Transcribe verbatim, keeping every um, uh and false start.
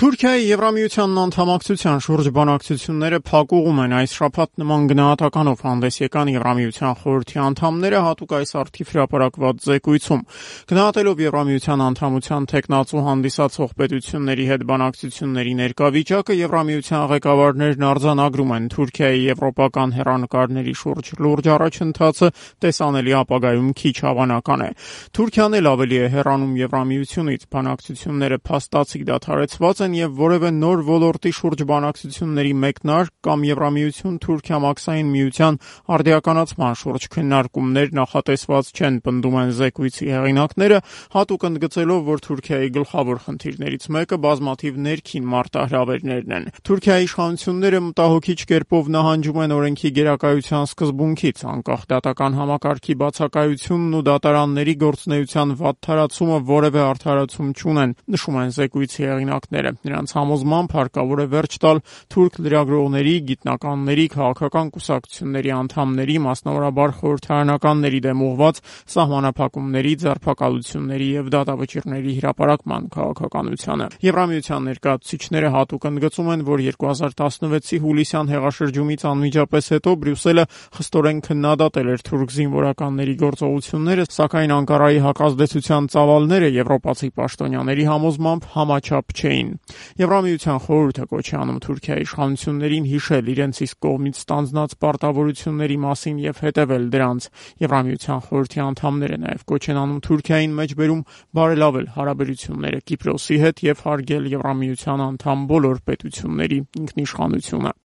Թուրքիայի Եվրամիությանն անդամակցության շուրջ բանակցությունները փակուղում են։ Այս շաբաթ նման գնահատականով հանդես եկան Եվրամիության խորհրդի անդամները հատուկ այս առթիվ հրապարակված զեկույցում։ Գնահատելով Եվրամիության անդամության թեկնածու հանդիսացող պետությունների հետ բանակցությունների ներկա վիճակը, Եվրամիության ղեկավարներն արձանագրում են Թուրքիայի եվրոպական հեռանկարների շուրջ լուրջ առաջընթացը տեսանելի ապագայում քիչ հավանական է։ Թուրքիան էլ ավելի է հեռանում Եվրամիությունից, բանակցությունները փաստացի դադարեցված են եւ որևէ նոր ոլորտի շուրջ բանակցությունների մեկնարկ կամ Եվրամիություն-Թուրքիա մաքսային միության արդիականացման շուրջ քննարկումներ նախատեսված չեն, պնդում են զեկույցի հեղինակները, հատուկ ընդգծելով, որ Թուրքիայի գլխավոր խնդիրներից մեկը բազմաթիվ ներքին մարտահրավերներն են։ Թուրքիայի իշխանությունները մտահոգիչ կերպով նահանջում են օրենքի գերակայության սկզբունքից, անկախ դատական համակարգի բացակայությունն ու դատարանների գործունեության վատթարացումը որևէ արդարացում չունեն, նշում են զեկույցի հեղինակները։ Նրանց համոզմամբ հարկավոր է վերջ տալ թուրք լրագրողների, գիտնականների, քաղաքական կուսակցությունների անդամների, մասնավորաբար խորհրդարանականների դեմ ուղղված սահմանափակումների, ձերբակալությունների եւ դատավճիռների հրապարակման քաղաքականությանը։ Եվրամիության ներկայացուցիչները հատուկ ընդգծում են, որ երկու հազար տասնվեցի հուլիսյան հեղաշրջումից անմիջապես հետո Բրյուսելը խստորեն քննադատել էր թուրք զինվորականների գործողությունները, սակայն Անկարայի հակազդեցության ծավալները եվրոպացի պաշտոնյաների համոզմամբ համաչափ չէին։ Եվրամիության խորհուրդը կոչ է անում Թուրքիայի իշխանություններին հիշել իրենց իսկ կողմից ստանձնած պարտավորությունների մասին եւ հետեւել դրանց։ Եվրամիության խորհրդի անդամները նաեւ կոչ են անում Թուրքիային մեջբերում բարելավել հարաբերությունները Կիպրոսի հետ եւ հարգել Եվրամիության անդամ բոլոր պետությունների ինքնիշխանությունը։